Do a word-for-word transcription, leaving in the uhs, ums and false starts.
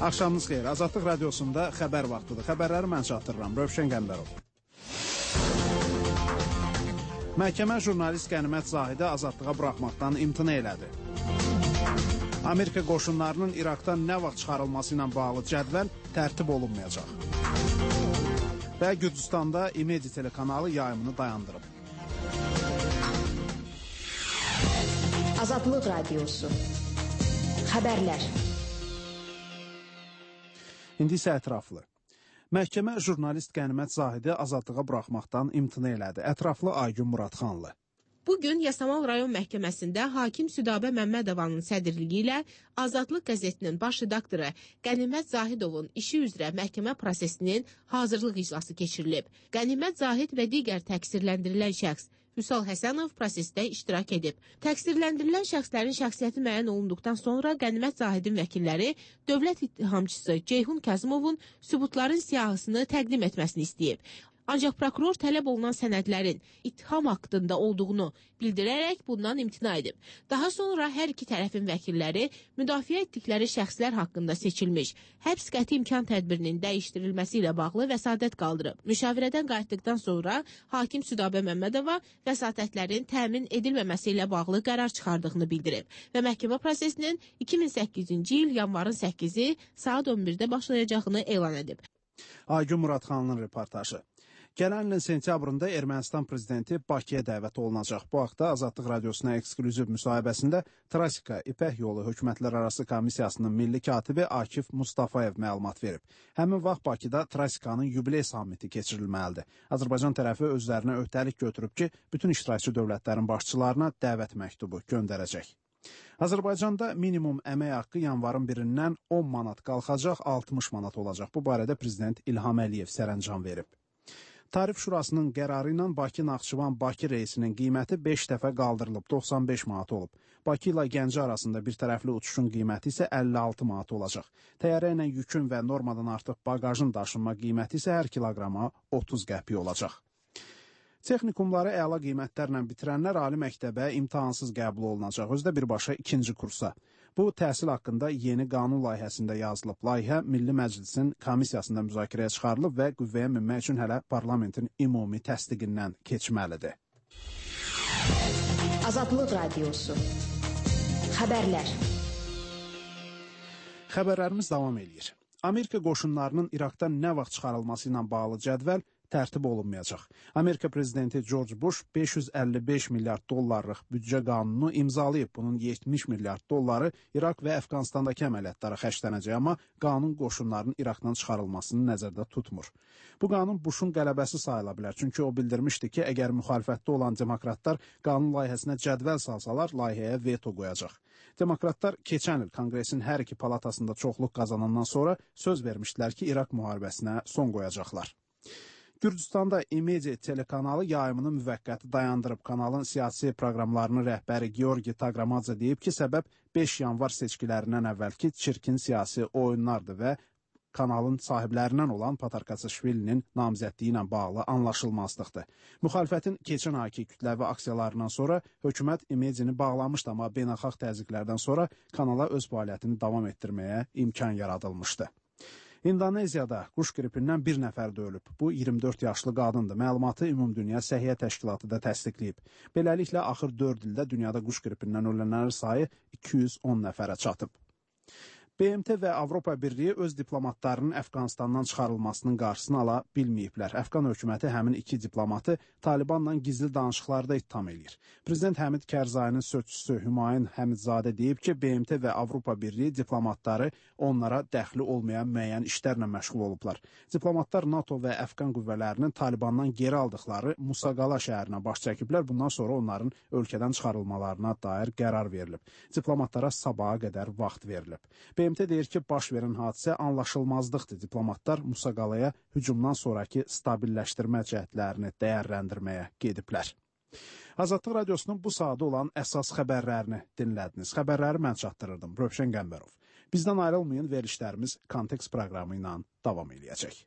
Axşamınız xeyir. Azadlıq radiosunda xəbər vaxtıdır. Xəbərləri mən çatdırıram. Rövşən Qəmbərov. Məhkəmə jurnalist Qənimət Zahidi azadlığa buraxmaqdan imtina elədi. Amerika qoşunlarının İraqdan nə vaxt çıxarılması ilə bağlı cədvəl tərtib olunmayacaq. Və Gürcüstanda İmedi telekanalı yayımını dayandırıb. Azadlıq radiosu. Xəbərlər. İndi isə ətraflı. Məhkəmə jurnalist Qənimət Zahidi azadlığa buraxmaqdan imtina elədi. Ətraflı Aygün Muradxanlı. Bugün Yasamal rayon məhkəməsində hakim Südabə Məmmədovanın sədrliyi ilə Azadlıq qəzetinin baş redaktoru Qənimət Zahidovun işi üzrə məhkəmə prosesinin hazırlıq iclası keçirilib. Qənimət Zahid və digər təqsirləndirilən şəxs Vüsal Həsənov prosesdə iştirak edib. Təqsirləndirilən şəxslərin şəxsiyyəti müəyyən olunduqdan sonra Qənimət Zahidin vəkilləri dövlət ittihamçısı Ceyhun Kazımovun sübutların siyahısını təqdim etməsini istəyib. Ancaq prokuror tələb olunan sənədlərin ittiham haqqında olduğunu bildirərək bundan imtina edib. Daha sonra hər iki tərəfin vəkilləri müdafiə etdikləri şəxslər haqqında seçilmiş həbs qəti imkan tədbirinin dəyişdirilməsi ilə bağlı vəsatət qaldırıb. Müşavirədən qayıtdıqdan sonra hakim Südabə Məmmədova vəsatətlərin təmin edilməməsi ilə bağlı qərar çıxardığını bildirib və məhkəmə prosesinin iki min səkkizinci il yanvarın səkkizi saat on birdə başlayacağını elan edib. Aygün Muradxanlının reportajı. Gələn ilin sentyabrında Ermənistan prezidenti Bakıya dəvət olunacaq. Bu haqda Azadlıq radiosuna ekskluziv müsahibəsində Trasika İpək Yolu Hökumətlərarası Komissiyasının milli katibi Akif Mustafayev məlumat verib. Həmin vaxt Bakıda Trasikanın yubiley sammiti keçirilməlidir. Azərbaycan tərəfi özlərinə öhdəlik götürüb ki, bütün iştirakçı dövlətlərin başçılarına dəvət məktubu göndərəcək. Azərbaycanda minimum əmək haqqı yanvarın birindən on manat qalxacaq, altmış manat olacaq. Bu barədə Prezident İlham Əliyev sərəncam verib. Tarif Şurasının qərarı ilə Bakı-Naxçıvan-Bakı reysinin qiyməti beş dəfə qaldırılıb, doxsan beş manat olub. Bakı ilə Gəncə arasında bir tərəfli uçuşun qiyməti isə əlli altı manat olacaq. Təyyarə ilə yükün və normadan artıq bagajın daşınma qiyməti isə hər kiloqrama otuz qəpik olacaq. Texnikumları əla qiymətlərlə bitirənlər ali məktəbə imtahansız qəbul olunacaq, özdə birbaşa ikinci kursa. Bu, təhsil haqqında yeni qanun layihəsində yazılıb. Layihə Milli Məclisin komissiyasında müzakirəyə çıxarılıb və qüvvəyə minmək üçün hələ parlamentin ümumi təsdiqindən keçməlidir. Azadlıq radiosu. Xəbərlər. Xəbərlərimiz davam edir. Amerika qoşunlarının İraqdan nə vaxt çıxarılması ilə bağlı cədvəl tərtib olunmayacaq. Amerika prezidenti George Bush beş yüz əlli beş milyard dollarlıq büdcə qanunu imzalayıb. Bunun yetmiş milyard dolları İraq və Əfqanistandakı əməliyyatlara xərclənəcək, amma qanun qoşunların İraqdan çıxarılmasını nəzərdə tutmur. Bu qanun Bushun qələbəsi sayıla bilər, çünki o bildirmişdi ki, əgər müxalifətdə olan demokratlar qanun layihəsinə cədvəl salsalar, layihəyə veto qoyacaq. Demokratlar keçən il Konqresin hər iki palatasında çoxluq qazanandan sonra söz vermişdilər ki, İraq müharibəsinə son qoyacaqlar. Gürcüstanda İmedi telekanalı yayımını müvəqqəti dayandırıb. Kanalın siyasi proqramlarının rəhbəri Georgi Tagramadze deyib ki, səbəb beş yanvar seçkilərindən əvvəlki çirkin siyasi oyunlardır və kanalın sahiblərindən olan Patarkasaşvilinin namizədliyi ilə bağlı anlaşılmazlıqdır. Müxalifətin keçən ayki kütləvi aksiyalarından sonra hökumət İmedini bağlamışdı, amma beynəlxalq təzyiqlərdən sonra kanala öz fəaliyyətini davam etdirməyə imkan yaradılmışdı. İndoneziyada quş qripindən bir nəfər də ölüb. Bu iyirmi dörd yaşlı qadındır. Məlumatı Ümumdünya Səhiyyə Təşkilatı da təsdiqləyib. Beləliklə, axır dörd ildə dünyada quş qripindən ölənlərin sayı iki yüz on nəfərə çatıb. B M T və Avropa Birliyi öz diplomatlarının Əfqanistandan çıxarılmasının qarşısını ala bilməyiblər. Əfqan hökuməti həmin iki diplomatı Talibanla gizli danışıqlarda ittiham edir. Prezident Həmid Kərzayinin sözçüsü Hümayun Həmidzadə deyib ki, B M T və Avropa Birliyi diplomatları onlara dəxli olmayan müəyyən işlərlə məşğul olublar. Diplomatlar NATO və Əfqan qüvvələrinin Talibandan geri aldıqları Musaqala şəhərinə baş çəkiblər. Bundan sonra onların ölkədən çıxarılmalarına dair qərar verilib. Diplomatlara sabaha qədər vaxt verilib. B M T deyir ki, baş verən hadisə anlaşılmazlıqdır. Diplomatlar Musaqalaya hücumdan sonraki stabilləşdirmə cəhdlərini dəyərləndirməyə gediblər. Azadlıq radiosunun bu saatda olan əsas xəbərlərini dinlədiniz. Xəbərləri mən çatdırırdım. Rövşən Qəmbərov. Bizdən ayrılmayın, verilişlərimiz Kontekst proqramı ilə davam edəcək.